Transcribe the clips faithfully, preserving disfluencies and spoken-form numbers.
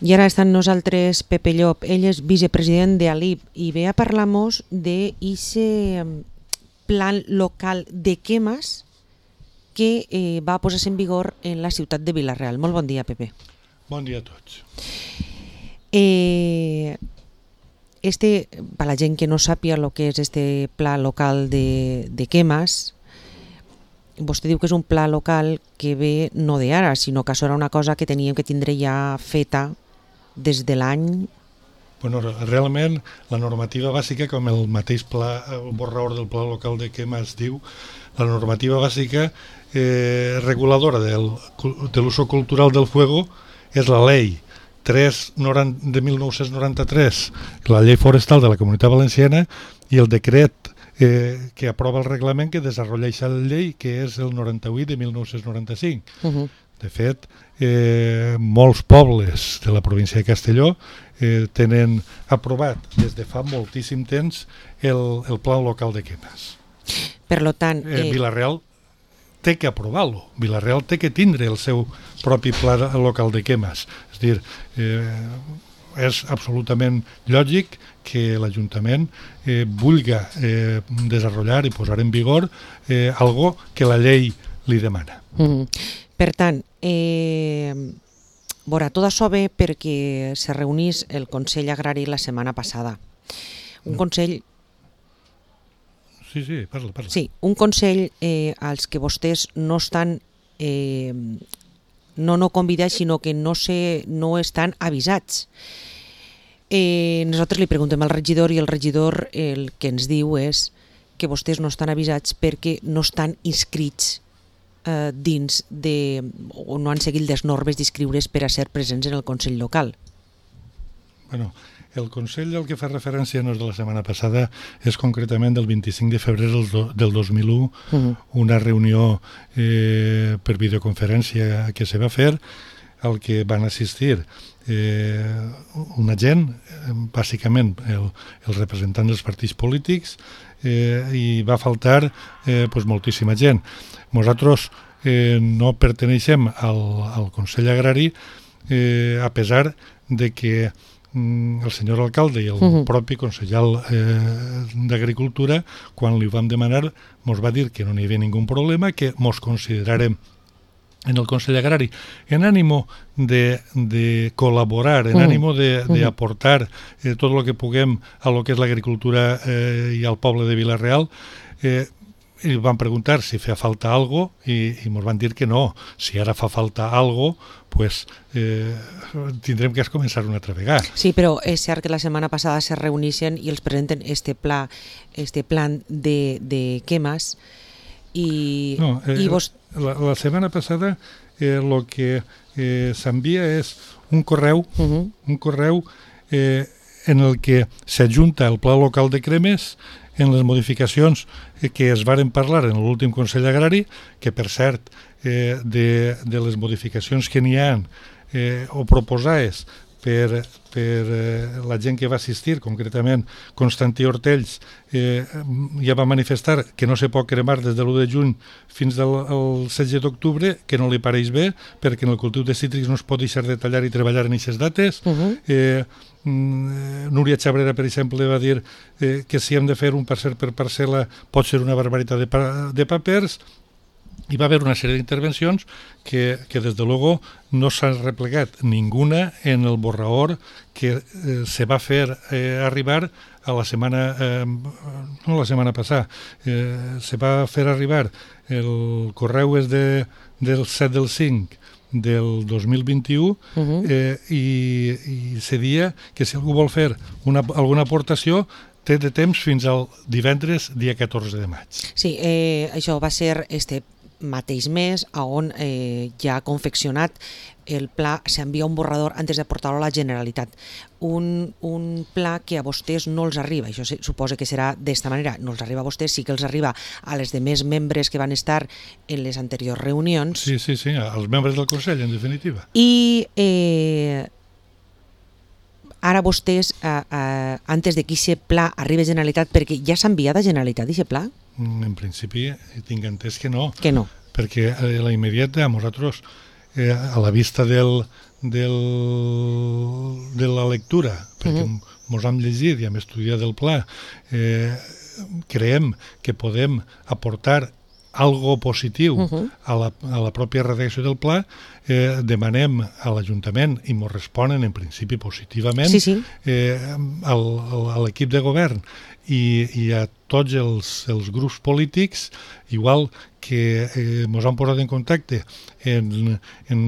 I ara està amb nosaltres Pepe Llop, ell és vicepresident de A L I B i ve a parlar-nos d'aquest plan local de quemes que eh, va posar-se en vigor en la ciutat de Vila-real. Molt bon dia, Pepe. Bon dia a tots. Eh, este, per la gent que no sàpia el que és este pla local de, de quemes, vostè diu que és un pla local que ve no d'ara, sinó que això era una cosa que teníem que tindre ja feta des de l'any... Bueno, realment, la normativa bàsica, com el mateix pla, el borrador del pla local de quemes diu, la normativa bàsica eh, reguladora del, de l'uso cultural del fuego és la llei tres de mil nou-cents noranta-tres, la llei forestal de la Comunitat Valenciana, i el decret eh, que aprova el reglament que desenvolupa aquesta llei, que és el noranta-vuit de mil nou-cents noranta-cinc. Uh-huh. De fet, eh, molts pobles de la província de Castelló eh, tenen aprovat des de fa moltíssim temps el, el pla local de quemes. Per lo tant... Eh... Eh, Vila-real té que aprovar-lo. Vila-real té que tindre el seu propi pla local de quemes. És a dir, eh, és absolutament lògic que l'Ajuntament eh, vulgui eh, desenvolupar i posar en vigor eh, algo que la llei li demana. Mm-hmm. Per tant, eh, veurà, tot això ve perquè se reunís el Consell Agrari la setmana passada. Un Consell... Sí, sí, parla, parla. Sí, un Consell eh, als que vostès no estan... Eh, no no convidats, sinó que no, se, no estan avisats. Eh, nosaltres li preguntem al regidor i el regidor el que ens diu és que vostès no estan avisats perquè no estan inscrits eh, dins de... o no han seguit les normes d'inscriure's per a ser presents en el Consell local. Bueno, el Consell al que fa referència no és de la setmana passada, és concretament del vint-i-cinc de febrer del dos mil u, uh-huh. una reunió eh, per videoconferència que se va fer, al que van assistir eh, una gent, eh, bàsicament el, el representant dels partits polítics, eh, i va faltar eh, pues, moltíssima gent. Nosaltres eh, no perteneixem al, al Consell Agrari, eh, a pesar de que el senyor alcalde i el uh-huh. propi consellal eh, d'Agricultura, quan li vam demanar, ens va dir que no hi havia ningú problema, que ens considerarem en el Consell Agrari en ànimo de, de col·laborar, en uh-huh. ànimo d'aportar eh, tot el que puguem a lo que és l'agricultura eh, i al poble de Vila-real. Eh, i van preguntar si feia falta algo i, i ens van dir que no. Si ara fa falta algo, pues, eh, tindrem que començar una altra vegada. Sí, però és cert que la setmana passada se reuneixen i els presenten este pla, este plan de, de quemes i, no, eh, i vos... La, la setmana passada el eh, que eh, s'envia és un correu, uh-huh. un correu eh, en el que s'adjunta el pla local de cremes en les modificacions que es varen parlar en l'últim Consell Agrari, que per cert, eh, de, de les modificacions que n'hi ha eh, o proposades per, per eh, la gent que va assistir, concretament Constantí Hortells, eh, ja va manifestar que no se pot cremar des de l'u de juny fins al setze d'octubre, que no li pareix bé, perquè en el cultiu de cítrics no es pot deixar de tallar i treballar en aquestes dates. Uh-huh. eh, Núria Xabrera, per exemple, va dir eh, que si hem de fer un parcel per parcel·la pot ser una barbaritat de, pa de papers. Hi va haver una sèrie d'intervencions que, que des de luego no s'ha replegat ninguna en el borrador que eh, se va fer eh, arribar a la setmana, eh, no la setmana passada, eh, se va fer arribar, el correu és de, del set del cinc del dos mil vint-i-u, uh-huh. eh, i, i se dia que si algú vol fer una, alguna aportació té de temps fins al divendres dia catorze de maig. Sí, eh, això va ser este mateix mes on eh, ja ha confeccionat el pla, s'envia un borrador antes de portar-lo a la Generalitat. Un, un pla que a vostès no els arriba, això suposa que serà d'esta manera, no els arriba a vostès, sí que els arriba a les demés membres que van estar en les anteriors reunions. Sí, sí, sí, als membres del Consell, en definitiva. I eh, ara vostès, eh, eh, antes de que aquest pla arribi a Generalitat, perquè ja s'ha enviat a Generalitat aquest pla? En principi tinc entès que no. Que no. Perquè a la immediata nosaltres, eh, a la vista del, del de la lectura, perquè uh-huh. mos hem llegit i hem estudiat el pla, eh, creiem que podem aportar algo positiu uh-huh. a, la, a la pròpia redacció del pla, eh, demanem a l'Ajuntament, i ens responen en principi positivament, sí, sí. Eh, al, al, a l'equip de govern i, i a tots els, els grups polítics, igual que eh, ens han posat en contacte en, en,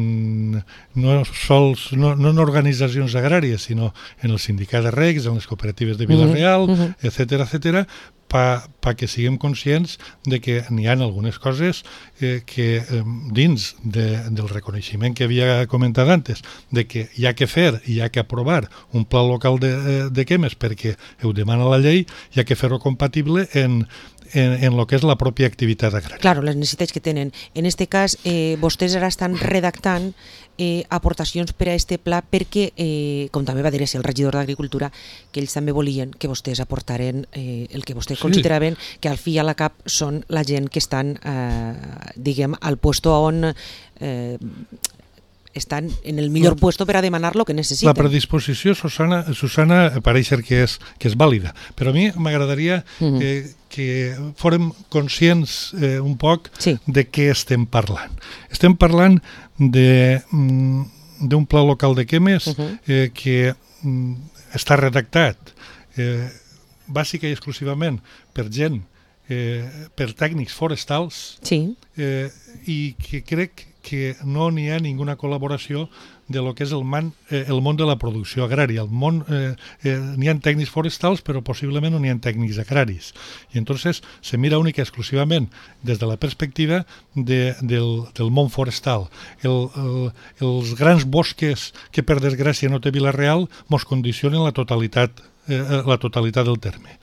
no, sols, no, no en organitzacions agràries, sinó en el sindicat de regs, en les cooperatives de Vila-real, uh-huh. etcètera, etcètera, pa, pa que siguem conscients de que n'hi ha algunes coses eh, que eh, dins de, del reconeixement que havia comentat antes, de que hi ha que fer i hi ha que aprovar un pla local de, de quemes perquè ho demana la llei, hi ha que fer-ho compatible en en, en lo que és la pròpia activitat agrària. Claro, les necessitats que tenen. En este cas, eh, vostès ara estan redactant eh, aportacions per a este pla perquè, eh, com també va dir el regidor d'Agricultura, que ells també volien que vostès aportaren eh, el que vostès sí. consideraven que al fi i a la cap són la gent que estan, eh, diguem, al puesto on eh, estan en el millor puesto per a demanar lo que necessiten. La predisposició, Susana, Susana pareix ser que és, que és vàlida, però a mi m'agradaria uh-huh. eh, que fórem conscients eh, un poc sí. de què estem parlant. Estem parlant de, d'un pla local de quemes uh-huh. eh, que mm, està redactat eh, bàsica i exclusivament per gent, eh, per tècnics forestals sí. eh, i que crec que no n'hi ha ninguna col·laboració de lo que és el, man, eh, el món de la producció agrària. El món, eh, eh, n'hi ha tècnics forestals, però possiblement no n'hi ha tècnics agraris. I entonces se mira única i exclusivament des de la perspectiva de, del, del món forestal. El, el, els grans bosques que per desgràcia no té Vila-real mos condicionen la totalitat, eh, la totalitat del terme.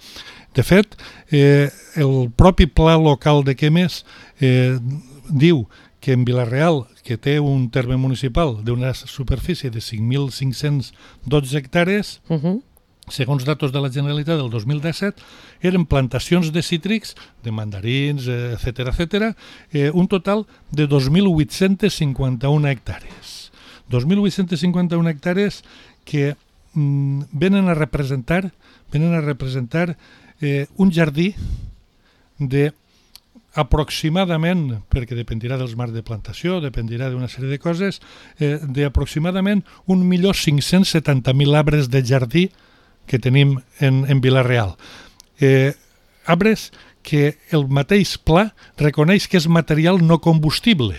De fet, eh, el propi pla local de quemes eh, diu que en Vila-real, que té un terme municipal d'una superfície de cinc mil cinc-cents dotze hectàrees, uh-huh. segons datos de la Generalitat del dos mil disset, eren plantacions de cítrics, de mandarins, etcètera, etcètera, eh, un total de dos mil vuit-cents cinquanta-un hectàrees. dos mil vuit-cents cinquanta-un hectàrees que mm, venen a representar, venen a representar eh, un jardí de aproximadament, perquè dependirà dels marcs de plantació, dependirà d'una sèrie de coses, eh, d'aproximadament un milió cinc-cents setanta mil arbres de jardí que tenim en, en Vila-real. Eh, arbres que el mateix pla reconeix que és material no combustible.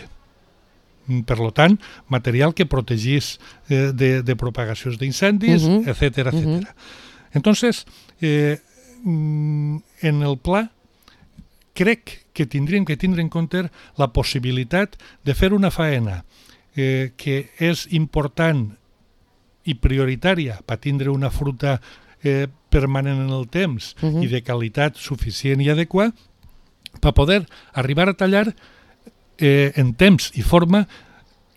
Per tant, material que protegís eh, de, de propagacions d'incendis, uh-huh. etcètera, etcètera. Uh-huh. Entonces, eh, en el pla crec que tindríem que tindre en compte la possibilitat de fer una faena eh, que és important i prioritària per tindre una fruita eh, permanent en el temps uh-huh. i de qualitat suficient i adequada per poder arribar a tallar eh, en temps i forma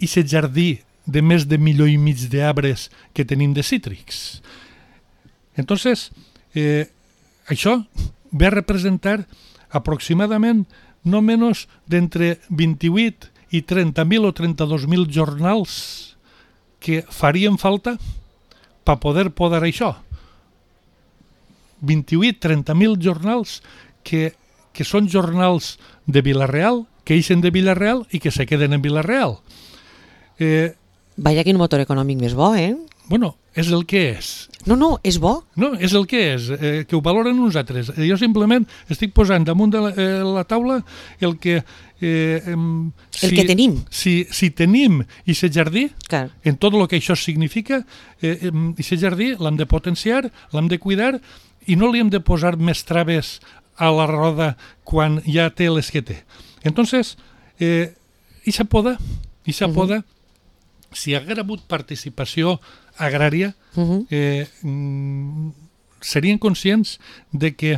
aquest jardí de més de milió i mig d'arbres que tenim de cítrics. Entonces, eh, això ve a representar aproximadament no menys d'entre vint-i-vuit i trenta mil o trenta-dos mil jornals que farien falta per poder podar això. vint-i-vuit a trenta mil jornals que, que són jornals de Vila-real, que ixen de Vila-real i que se queden en Vila-real. Eh, Vaya quin motor econòmic més bo, eh? Bueno, és el que és. No, no, és bo. No, és el que és, eh, que ho valoren uns altres. Jo simplement estic posant damunt de la, eh, la taula el que... Eh, si, el que tenim. Si, si tenim aquest jardí, clar. En tot el que això significa, eh, aquest jardí l'hem de potenciar, l'hem de cuidar i no li hem de posar més traves a la roda quan ja té les que té. Entonces, eh, ixa poda, ixa uh-huh. poda, si hi hagués hagut participació agrària, uh-huh. eh, mm, serien conscients de que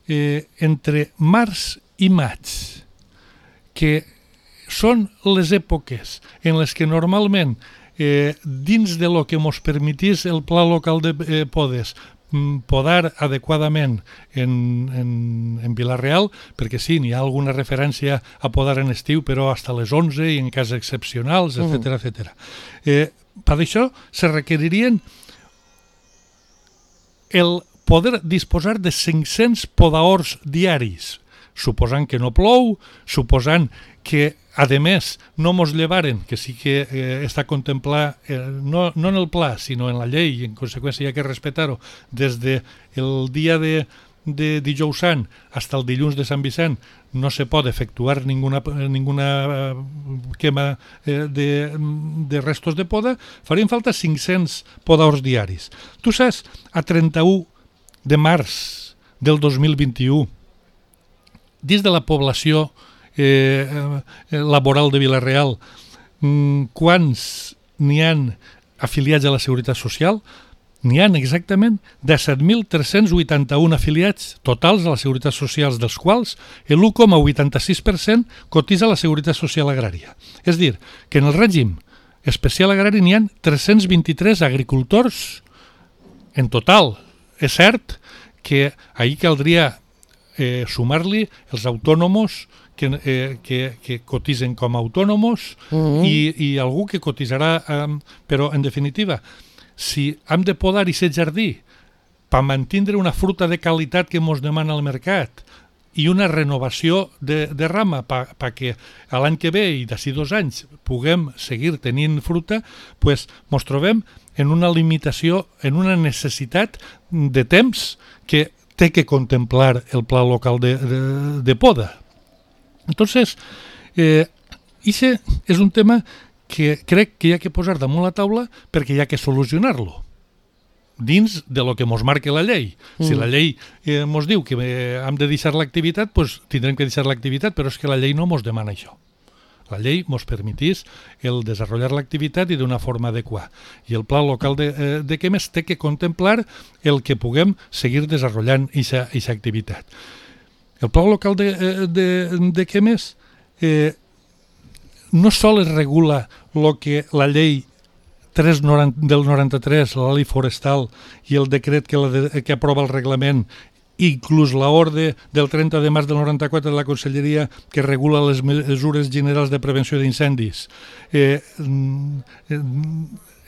eh, entre març i maig, que són les èpoques en les que normalment eh, dins de lo que mos permetís el pla local de eh, podes podar adequadament en, en, en Vila-real, perquè sí, n'hi ha alguna referència a podar en estiu, però fins a les onze i en casos excepcionals, etcètera, etcètera. Eh, per això se requeririen el poder disposar de cinc-cents podaors diaris, suposant que no plou, suposant que, a més, no mos llevaren, que sí que eh, està contemplat, eh, no, no en el pla, sinó en la llei, i en conseqüència hi ha que respectar-ho, des del dia de, de dijous sant fins al dilluns de Sant Vicent, no se pot efectuar ninguna, ninguna quema eh, de, de restos de poda, farien falta cinc-cents podaors diaris. Tu saps, a trenta-u de març del dos mil vint-i-u, dins de la població eh, eh, laboral de Vila-real, mm, quants n'hi han afiliats a la Seguretat Social? N'hi han exactament disset mil tres-cents vuitanta-un afiliats totals a la Seguretat Social, dels quals l'u coma vuitanta-sis per cent cotitza a la Seguretat Social Agrària. És a dir, que en el règim especial agrari n'hi ha tres-cents vint-i-tres agricultors en total. És cert que ahir caldria eh, sumar-li els autònomos que, eh, que, que cotitzen com a autònomos mm-hmm. i, i algú que cotitzarà, eh, però en definitiva, si hem de podar i ser jardí per mantindre una fruta de qualitat que ens demana el mercat i una renovació de, de rama perquè l'any que ve i d'ací dos anys puguem seguir tenint fruta, pues ens trobem en una limitació, en una necessitat de temps que té que contemplar el pla local de, de, de poda. Entonces, eh, ixe és un tema que crec que hi ha que posar damunt la taula perquè hi ha que solucionar-lo dins de lo que mos marca la llei. Mm. Si la llei eh, mos diu que eh, hem de deixar l'activitat, pues tindrem que deixar l'activitat, però és que la llei no mos demana això. La llei mos permetís el desenvolupar l'activitat i d'una forma adequada. I el pla local de, eh, de quemes té que contemplar el que puguem seguir desenvolupant aquesta activitat. El pla local de, de, de quemes eh, no sols regula el que la llei tres del noranta-tres, la llei forestal i el decret que, la de, que aprova el reglament, inclús l'ordre del trenta de març del noranta-quatre de la Conselleria que regula les mesures generals de prevenció d'incendis, eh, eh,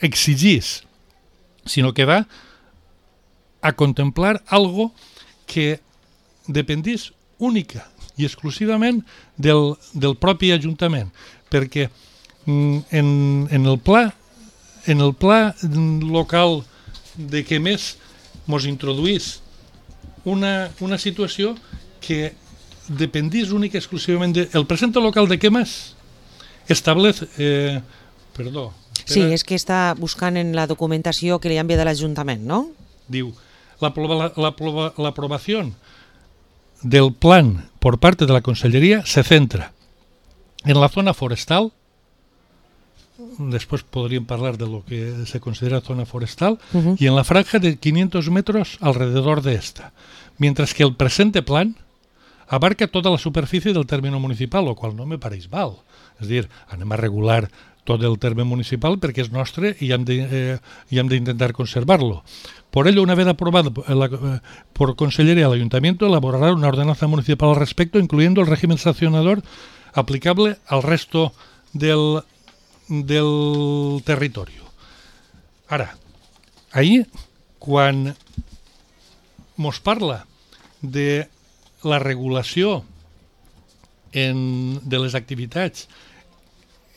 exigís, sinó que va a contemplar algo que dependís única i exclusivament del, del propi Ajuntament, perquè en, en el pla en el pla local de què més mos introduís una, una situació que dependís única i exclusivament de... El presente local de quemas establece... Eh, perdó. Espera. Sí, és que està buscant en la documentació que li ha enviat a l'Ajuntament, no? Diu, la, la, la, la aprobación del plan por parte de la Consellería se centra en la zona forestal. Después podrían hablar de lo que se considera zona forestal, uh-huh. y en la franja de quinientos metros alrededor de esta, mientras que el presente plan abarca toda la superficie del término municipal, lo cual no me pareix mal. És dir, anem a regular tot el terme municipal perquè és nostre i hem de, eh, i hem d'intentar conservarlo. Por ello, una vez aprobado la, eh, por Consellería, el Ayuntamiento elaborará una ordenanza municipal al respecto, incluyendo el régimen sancionador aplicable al resto del del territori. Ara, ahir, quan mos parla de la regulació en, de les activitats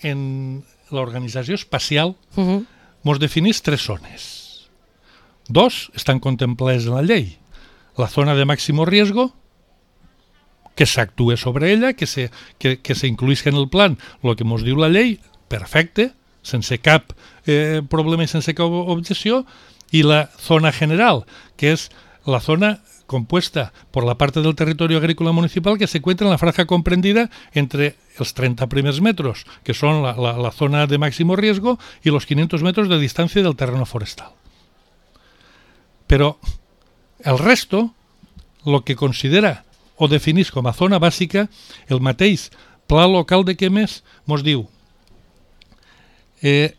en l'organització espacial, uh-huh. mos definís tres zones. Dos estan contemplades en la llei. La zona de màximo riesgo, que s'actue sobre ella, que se, que, que se incluïsca en el plan el que mos diu la llei, perfecte, sense cap eh, problema i sense cap objecció, i la zona general, que és la zona compuesta por la parte del territorio agrícola municipal que se encuentra en la franja comprendida entre els trenta primers metros, que son la, la, la zona de máximo riesgo, y los quinientos metros de distancia del terreno forestal. Pero el resto, lo que considera o definís com a zona bàsica, el mateix pla local de quemes mos diu: Eh,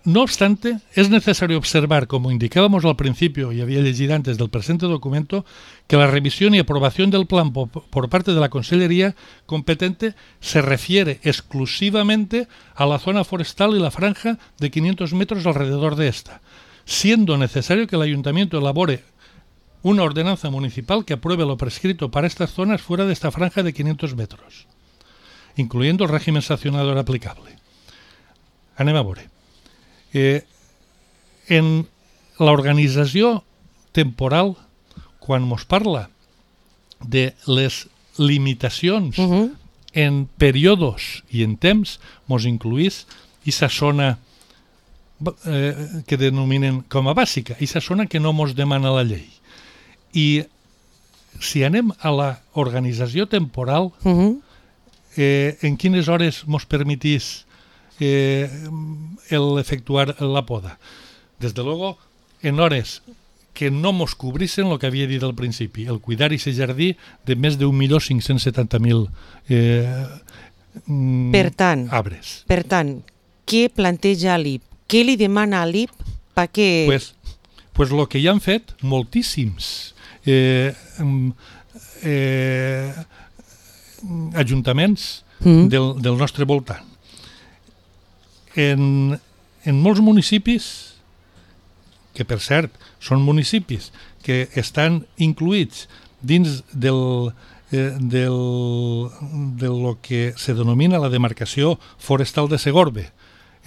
no obstante, es necesario observar, como indicábamos al principio y había leído antes del presente documento, que la revisión y aprobación del plan por, por parte de la Consellería competente se refiere exclusivamente a la zona forestal y la franja de quinientos metros alrededor de esta, siendo necesario que el Ayuntamiento elabore una ordenanza municipal que apruebe lo prescrito para estas zonas fuera de esta franja de quinientos metros, incluyendo el régimen sancionador aplicable. Anem a veure. Eh, en l'organització temporal, quan mos parla de les limitacions uh-huh. en períodos i en temps, mos incluís aquesta zona eh, que denominen com a bàsica, aquesta zona que no mos demana la llei. I si anem a l'organització temporal, uh-huh. eh, en quines hores mos permetís eh, el efectuar la poda? Desde luego, en hores que no mos cobrissen el que havia dit al principi, el cuidar i ser jardí de més d'un milió cinc-cents setanta mil eh, per tant, arbres. Per tant, què planteja l'I P? Què li demana a l'I P perquè... Pues, pues lo que ja han fet moltíssims eh, eh, ajuntaments mm. del, del nostre voltant. En, en molts municipis, que per cert són municipis que estan incluïts dins del, eh, del, de lo que se denomina la demarcació forestal de Segorbe,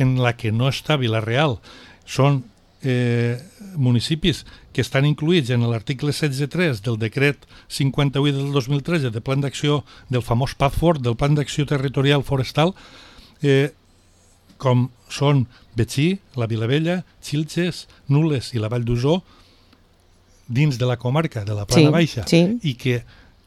en la que no està Vila-real, són eh, municipis que estan incluïts en l'article setze punt tres del decret cinquanta-vuit del dos mil tretze de plan d'acció, del famós P A F fort, del plan d'acció territorial forestal, eh, com són Betxí, la Vilavella, Xilxes, Nules i la Vall d'Usó, dins de la comarca de la Plana sí, Baixa, sí. i que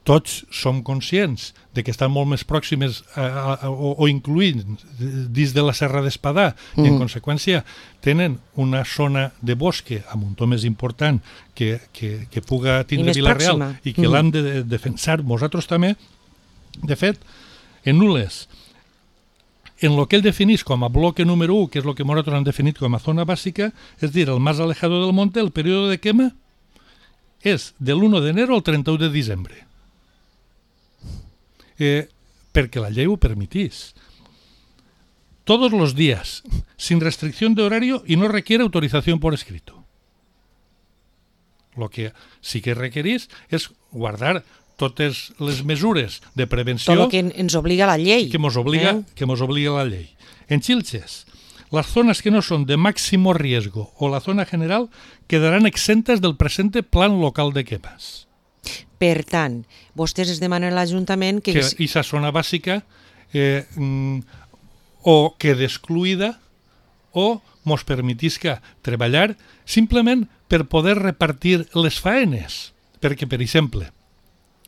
tots som conscients de que estan molt més pròximes a, a, a, o, o incluïts dins de la Serra d'Espadà mm. i en conseqüència tenen una zona de bosque a muntó més important que, que, que puga tindre Vila-real i que mm. l'han de defensar nosaltres també. De fet, en Nules, en lo que ell definís com a bloque número u, que és el que nosaltres han definit com a zona bàsica, és dir, el más alejado del monte, el període de quema és de l'u d'enero al trenta-u de desembre. Eh, perquè la llei ho permitís. Todos los días, sin restricción de horario y no requiere autorización por escrito. Lo que sí que requerís és guardar totes les mesures de prevenció tot el que ens obliga la llei que mos obliga, eh? que mos obliga la llei. En Xilxes, las zonas que no son de máximo riesgo o la zona general quedarán exentas del presente plan local de quemas. Per tant, vostès es demanen a l'Ajuntament que... Que aquesta zona bàsica eh, o quede excluïda o mos permetisca treballar simplement per poder repartir les faenes. Perquè, per exemple,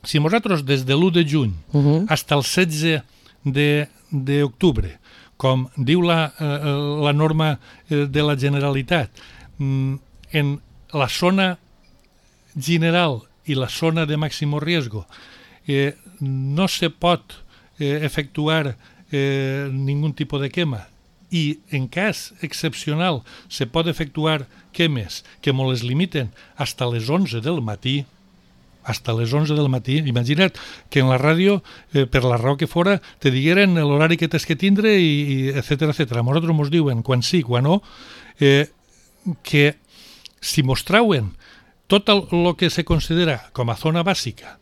si nosaltres des de l'u de juny uh-huh. fins al setze d'octubre, com diu la, eh, la norma de la Generalitat, en la zona general i la zona de màximo riesgo eh, no se pot eh, efectuar eh, ningú tipus de quema i en cas excepcional se pot efectuar quemes que me les limiten hasta les onze del matí, hasta les onze del matí. Imagina't que en la ràdio, eh, per la raó que fora, te digueren l'horari que tens que tindre i, i etcètera, etcètera. A nosaltres mos diuen quan sí, quan no, eh, que si mos trauen tot el que se considera com a zona bàsica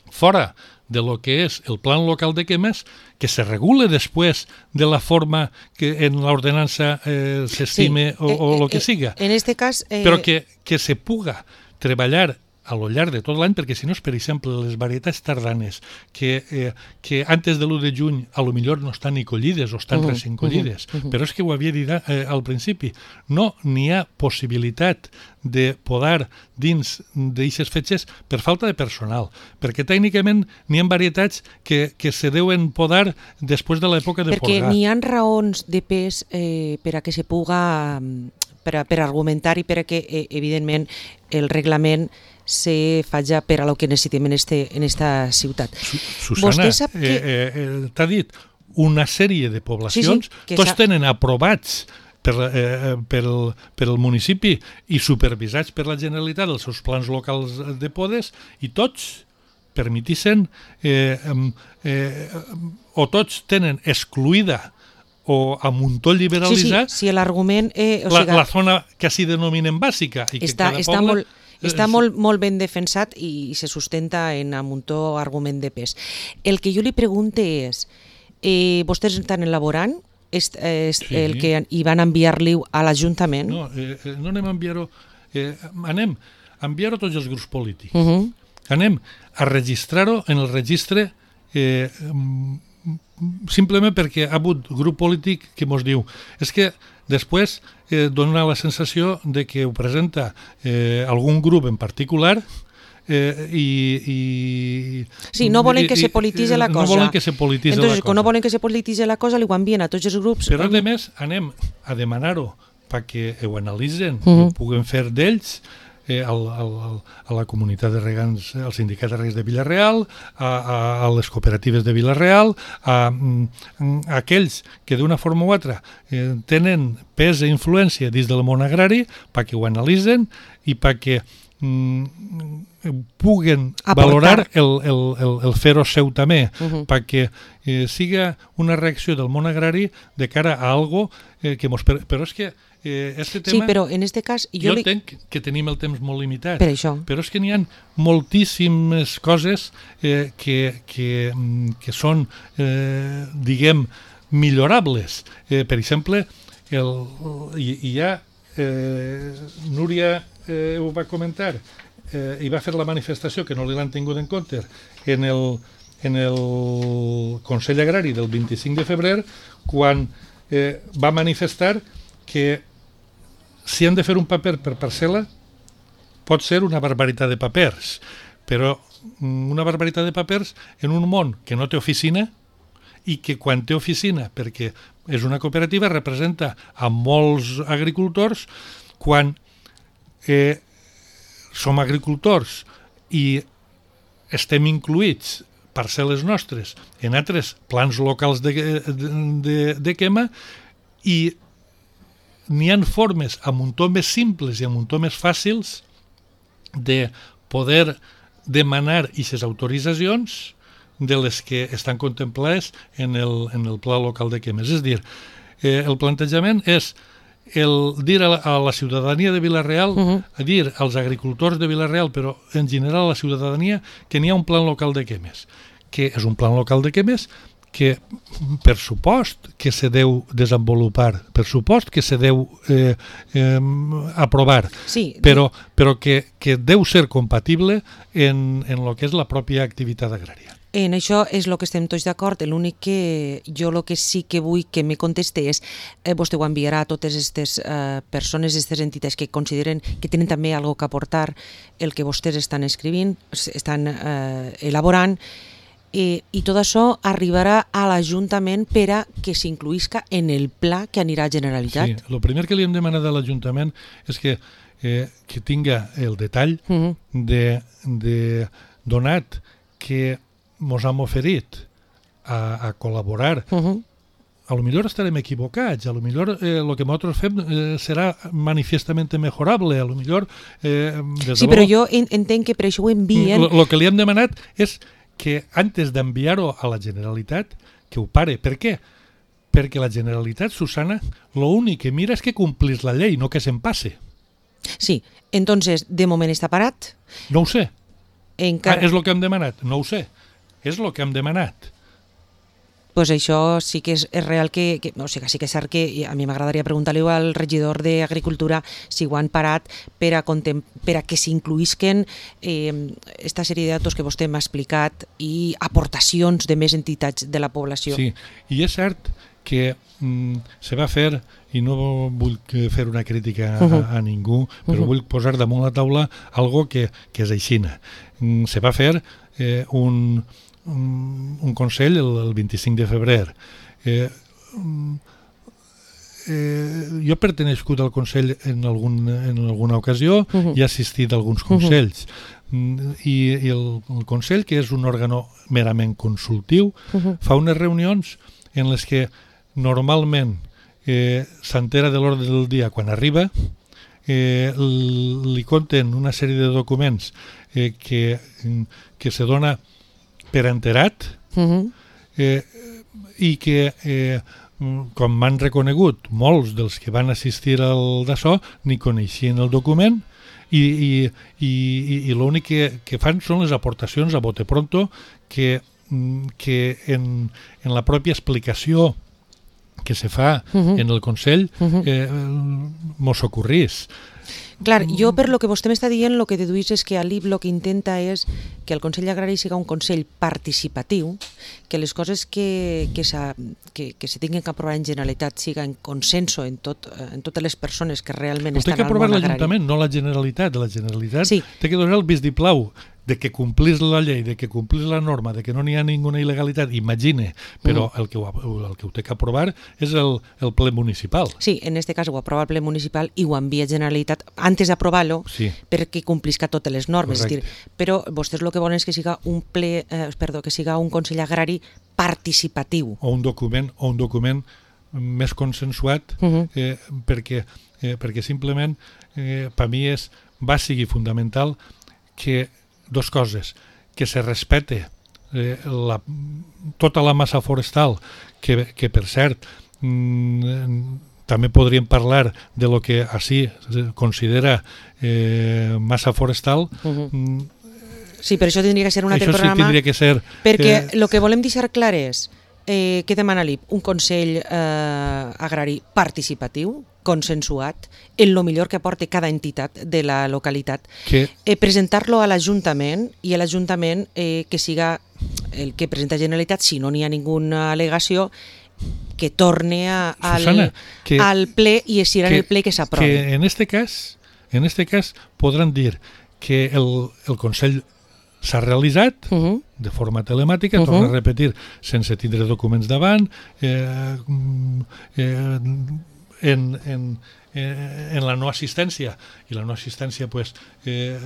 fora de lo que és el plan local de quemes, que se regule després de la forma que en l'ordenança eh, s'estime sí, o, o eh, lo que siga. En este cas... Eh... Però que, que se puga treballar a lo llarg de tot l'any, perquè si no és, per exemple, les varietats tardanes, que, eh, que antes de l'u de juny a lo millor no estan ni collides o estan uh-huh, recent collides, uh-huh, uh-huh. però és que ho havia dit eh, al principi, no n'hi ha possibilitat de podar dins d'aixes fetges per falta de personal, perquè tècnicament n'hi ha varietats que, que se deuen podar després de l'època de perquè podar. Perquè n'hi ha raons de pes eh, per a que se puga, per, a, per argumentar i per a que, eh, evidentment, el reglament se faci per a lo que necessitem en, este, en esta ciutat. Susana, sap que... eh, eh, t'ha dit una sèrie de poblacions, sí, sí, tots tenen aprovats per, eh, per, el, per el municipi i supervisats per la Generalitat els seus plans locals de podes i tots permetissen eh, eh, o tots tenen excluïda o a muntó liberalitzar sí, sí, si l'argument... Eh, o la, sigui, la zona que així denominen bàsica i que està, cada està poble... molt... està molt, molt ben defensat i se sustenta en un muntó argument de pes. El que jo li pregunte és, eh, vostès estan elaborant és, és sí. el que hi van enviar-li a l'Ajuntament? No, eh, no anem a enviar-ho, eh, anem a enviar-ho a tots els grups polítics. Uh -huh. Anem a registrar-ho en el registre eh, simplement perquè ha hagut grup polític que ens diu és que després eh, dona la sensació de que ho presenta eh, algun grup en particular eh, i, i... Sí, no volen que se polititze la cosa. No volen que se polititze Entonces, la cosa. quan no volen que se polititze la cosa, li ho envien a tots els grups. Però, a més, anem a demanar-ho perquè ho analitzen, uh -huh. ho puguen fer d'ells, Eh, al, al, a la comunitat de regants, al sindicat de regants de Vila-real, a, a, a les cooperatives de Vila-real, a, a aquells que d'una forma u altra eh, tenen pes i influència dins del món agrari perquè ho analitzen i perquè mm, puguen Aportar. valorar el, el, el, el fer-ho seu també, uh -huh. perquè eh, siga una reacció del món agrari de cara a algo eh, que mos... Però és que Eh, este tema, sí, però en este cas... Jo, jo li... entenc que tenim el temps molt limitat, per això. Però és que n'hi ha moltíssimes coses eh, que, que, que són, eh, diguem, millorables. Eh, per exemple, el, hi, hi ha... Eh, Núria eh, ho va comentar eh, i va fer la manifestació, que no li l'han tingut en compte, en el, en el Consell Agrari del vint-i-cinc de febrer, quan eh, va manifestar que si han de fer un paper per parcel·la, pot ser una barbaritat de papers, però una barbaritat de papers en un món que no té oficina i que quan té oficina, perquè és una cooperativa, representa a molts agricultors, quan eh, som agricultors i estem incluïts parcel·les nostres en altres plans locals de, de, de, de quema i n'hi ha formes a muntó més simples i a muntó més fàcils de poder demanar aquestes autoritzacions de les que estan contemplades en el, en el pla local de quemes. És a dir, eh, el plantejament és el dir a la, a la ciutadania de Vila-real, uh-huh. a dir als agricultors de Vila-real, però en general a la ciutadania, que n'hi ha un plan local de quemes, que és un plan local de quemes que per supost que se deu desenvolupar, per supost que se deu eh, eh, aprovar, sí. però, però que, que deu ser compatible en, en el que és la pròpia activitat agrària. En això és el que estem tots d'acord. L'únic que jo el que sí que vull que me conteste és eh, vostè ho enviarà a totes aquestes eh, persones, aquestes entitats que consideren que tenen també alguna cosa que aportar el que vostès estan escrivint, estan eh, elaborant, Eh, i tot això arribarà a l'Ajuntament per a que s'incluïsca en el pla que anirà a Generalitat. Sí, el primer que li hem demanat a l'Ajuntament és que, eh, que tinga el detall uh-huh. de, de donat que mos hem oferit a, a col·laborar. Uh-huh. A lo millor estarem equivocats, a lo millor eh, el que nosaltres fem eh, serà manifestament mejorable, a lo millor... Eh, sí, però jo entenc que per això ho envien... El que li hem demanat és que antes d'enviar-ho a la Generalitat, que ho pare. Per què? Perquè la Generalitat, Susana, l'únic que mira és que complís la llei, no que se'n passe. Sí, entonces, de moment està parat? No ho sé. Encara... Ah, és el que hem demanat? No ho sé. És el que hem demanat. Pues això sí que és, és real que, que... O sigui, sí que és cert que a mi m'agradaria preguntar-li al regidor d'Agricultura si ho han parat per a, contem, per a que s'incluïsquen eh, esta sèrie de datos que vostè m'ha explicat i aportacions de més entitats de la població. Sí, i és cert que mm, se va fer, i no vull fer una crítica a, uh-huh. a ningú, però uh-huh. vull posar damunt la taula algo que, que és aixina. Mm, se va fer eh, un... un consell el, el vint-i-cinc de febrer. Eh, eh, jo he pertenecigut al consell en, algun, en alguna ocasió uh-huh. i he assistit a alguns consells. Uh-huh. I, i el, el consell, que és un òrgan merament consultiu, uh-huh. fa unes reunions en les que normalment eh, s'entera de l'ordre del dia quan arriba, eh, li conten una sèrie de documents eh, que, que se dona per enterat uh-huh. eh, i que, eh, com m'han reconegut molts dels que van assistir al d'això, ni coneixien el document i, i, i, i l'únic que, que fan són les aportacions a bote pronto que, que en, en la pròpia explicació que se fa uh-huh. en el Consell uh-huh. eh, mos ocorrís. Clar, jo per lo que vostè m'està dient, el que deduís és que a l'I B el que intenta és que el Consell Agrari siga un Consell participatiu, que les coses que, que, que, que se tinguin que aprovar en Generalitat siga en consenso en, tot, en totes les persones que realment estan al món agrari. Té que aprovar l'Ajuntament, no la Generalitat. La Generalitat sí. té que donar el vistiplau de que complís la llei, de que complís la norma, de que no n'hi ha ninguna il·legalitat, imagine, però mm. el, que ho, el que ho té que aprovar és el, el ple municipal. Sí, en este cas ho aprova el ple municipal i ho envia a Generalitat antes d'aprovar-lo sí. perquè complisca totes les normes. És dir, però vostès el que volen és que siga un ple, eh, perdó, que siga un Consell Agrari participatiu. O un document, o un document més consensuat, uh-huh. eh, perquè, eh, perquè simplement eh, per mi és bàsic i fundamental que dos coses, que se respete eh, la, tota la massa forestal, que, que per cert mm, també podríem parlar de lo que així se considera eh, massa forestal. Uh-huh. mm, sí, per això tindria que ser un altre això programa. Sí tindria que ser... Perquè el eh, que volem deixar clar és eh, què demana l'I B? Un Consell eh, Agrari participatiu, consensuat, en lo millor que aporte cada entitat de la localitat, que... eh, presentar-lo a l'Ajuntament i a l'Ajuntament eh, que siga el que presenta Generalitat, si no n'hi ha ninguna al·legació, que torne a, al, Susana, que, al ple i si era en el ple que s'aprovi. Que en este cas, en este cas podran dir que el, el Consell s'ha realitzat uh-huh. de forma telemàtica, uh-huh. torna a repetir, sense tindre documents davant, eh, eh, en, en, en la no assistència, i la no assistència pues, eh,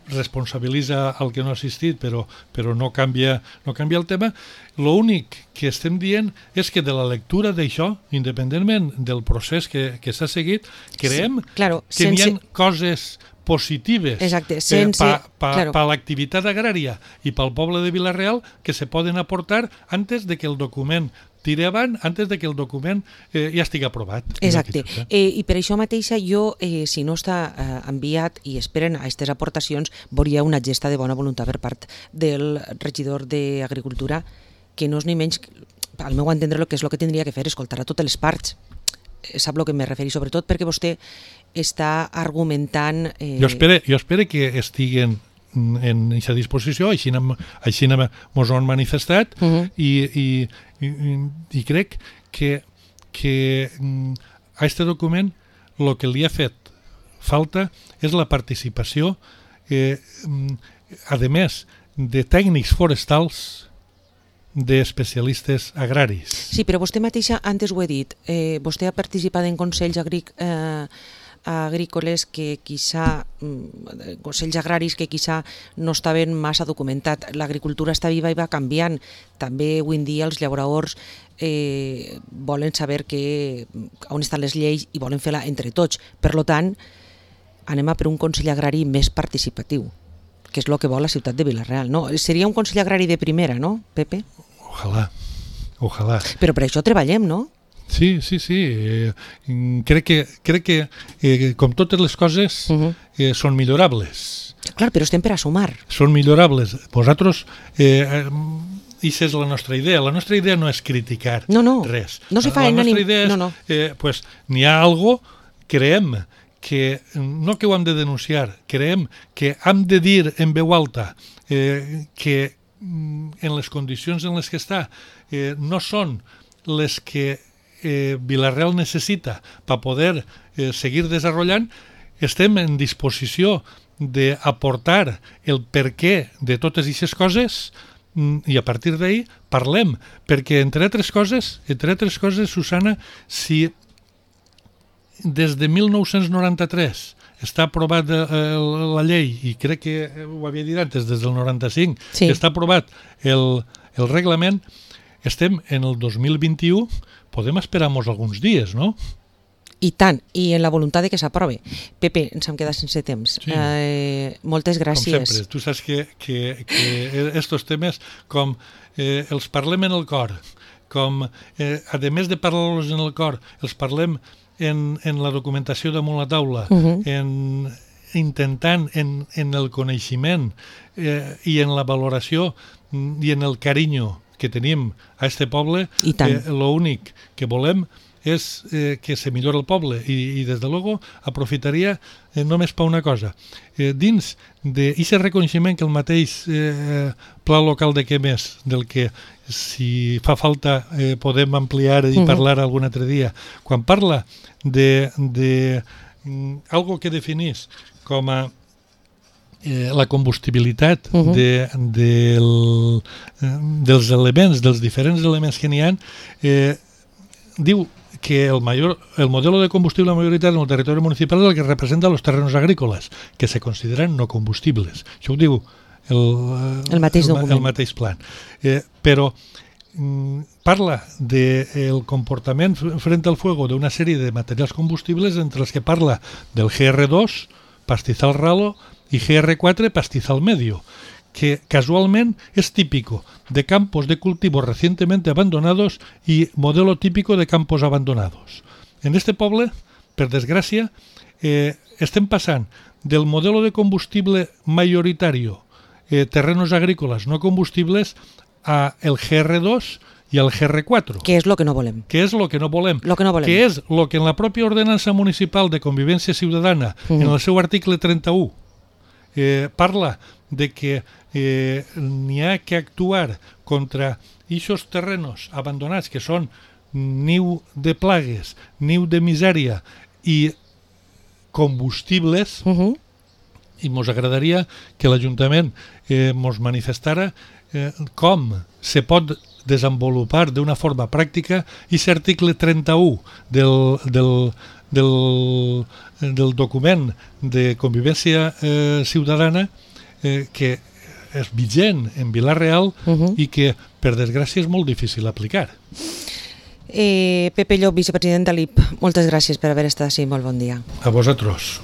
responsabilitza el que no ha assistit, però, però no, canvia, no canvia el tema. L'únic que estem dient és que de la lectura d'això, independentment del procés que, que s'ha seguit, creiem sí, claro, que sense... hi ha coses positives Exacte, sense, eh, per pa, claro. pa l'activitat agrària i pel poble de Vila-real que se poden aportar antes de que el document tiri avant, antes de que el document eh, ja estigui aprovat. Exacte, eh, i per això mateixa jo, eh, si no està eh, enviat i esperen a aquestes aportacions, veuria una gesta de bona voluntat per part del regidor d'Agricultura, que no és ni menys, al meu entendre, el que és el que tindria que fer, escoltar a totes les parts. Sap el que me referi, sobretot perquè vostè està argumentant... Eh... Jo espero, jo espero que estiguen en aquesta disposició, així, així mos ho han manifestat, uh-huh. i, i, i, i crec que, que a aquest document el que li ha fet falta és la participació, eh, a més de tècnics forestals, d'especialistes agraris. Sí, però vostè mateixa antes ho he dit, eh, vostè ha participat en consells agríc, eh, agrícoles que quizá, eh, consells agraris que quizá no estaven massa documentat. L'agricultura està viva i va canviant. També avui en dia els llauradors eh, volen saber que, on estan les lleis i volen fer-la entre tots. Per tant, anem a per un consell agrari més participatiu, que és el que vol la ciutat de Vila-real. No? Seria un consell agrari de primera, no, Pepe? Ojalà, ojalà. Però per això treballem, no? Sí, sí, sí. Eh, crec que, crec que eh, com totes les coses, uh-huh. eh, són millorables. Clar, però estem per a sumar. Són millorables. Vosaltres, eh, aquesta és la nostra idea. La nostra idea no és criticar no, no. res. No se fa la en nostra ànim... idea és, no, no. eh, pues, n'hi ha algo, creem que, no que ho hem de denunciar, creem que hem de dir en veu alta eh, que en les condicions en les que està eh, no són les que eh, Vila-real necessita per poder eh, seguir desenvolupant, estem en disposició d'aportar el perquè de totes aquestes coses i a partir d'ahir parlem, perquè entre altres coses, entre altres coses, Susana, si des de mil nou-cents noranta-tres està aprovat eh, la llei, i crec que ho havia dit antes, des del noranta-cinc, sí. que està aprovat el, el reglament, estem en el dos mil vint-i-u, podem esperar-nos alguns dies, no? I tant, i en la voluntat de que s'aprovi. Pepe, ens hem quedat sense temps. Sí. Eh, moltes gràcies. Com sempre, tu saps que, que, que estos temes, com eh, els parlem en el cor, com, eh, a més de parlar-los en el cor, els parlem en, en la documentació damunt la taula, uh-huh. en, intentant en, en el coneixement eh, i en la valoració i en el carinyo que tenim a este poble, eh, l'únic que volem és eh, que se millora el poble i, i des de luego aprofitaria eh, només per una cosa. Eh, dins d'aquest reconeixement que el mateix eh, pla local de Quemes, del que si fa falta eh, podem ampliar i uh-huh. parlar algun altre dia, quan parla de, de mm, algo que definís com a eh, la combustibilitat uh-huh. de, del, eh, dels elements, dels diferents elements que n'hi ha, eh, diu que el, mayor, el modelo de combustible mayoritario en el territorio municipal es el que representa los terrenos agrícolas, que se consideran no combustibles. Això ho diu el, el, mateix, el, el mateix plan. Eh, però mm, parla del de comportament frente al fuego d'una sèrie de materials combustibles entre els que parla del G R dos, pastizal ralo, i G R cuatro, pastizal medio, que casualment es típico de campos de cultivo recientemente abandonados y modelo típico de campos abandonados. En este poble, per desgràcia, eh, estem passant del modelo de combustible mayoritario, eh, terrenos agrícolas no combustibles, a el G R dos y al G R cuatro. Que és lo que no volem. Que és lo que no volem. Lo que no volem. Que és lo que en la pròpia ordenança municipal de convivència ciutadana, uh-huh. en el seu article trenta-u, eh, parla de que eh, n'hi ha que actuar contra aquests terrenos abandonats que són niu de plagues, niu de misèria i combustibles, uh-huh. i mos agradaria que l'Ajuntament eh, mos manifestara eh, com se pot desenvolupar d'una forma pràctica aquest article trenta-u del, del, del, del document de convivència eh, ciutadana, eh, que és vigent en Vila-real uh-huh. i que, per desgràcia, és molt difícil aplicar. Eh, Pepe Llop, vicepresident de l'I P, moltes gràcies per haver estat així. Molt bon dia. A vosaltres.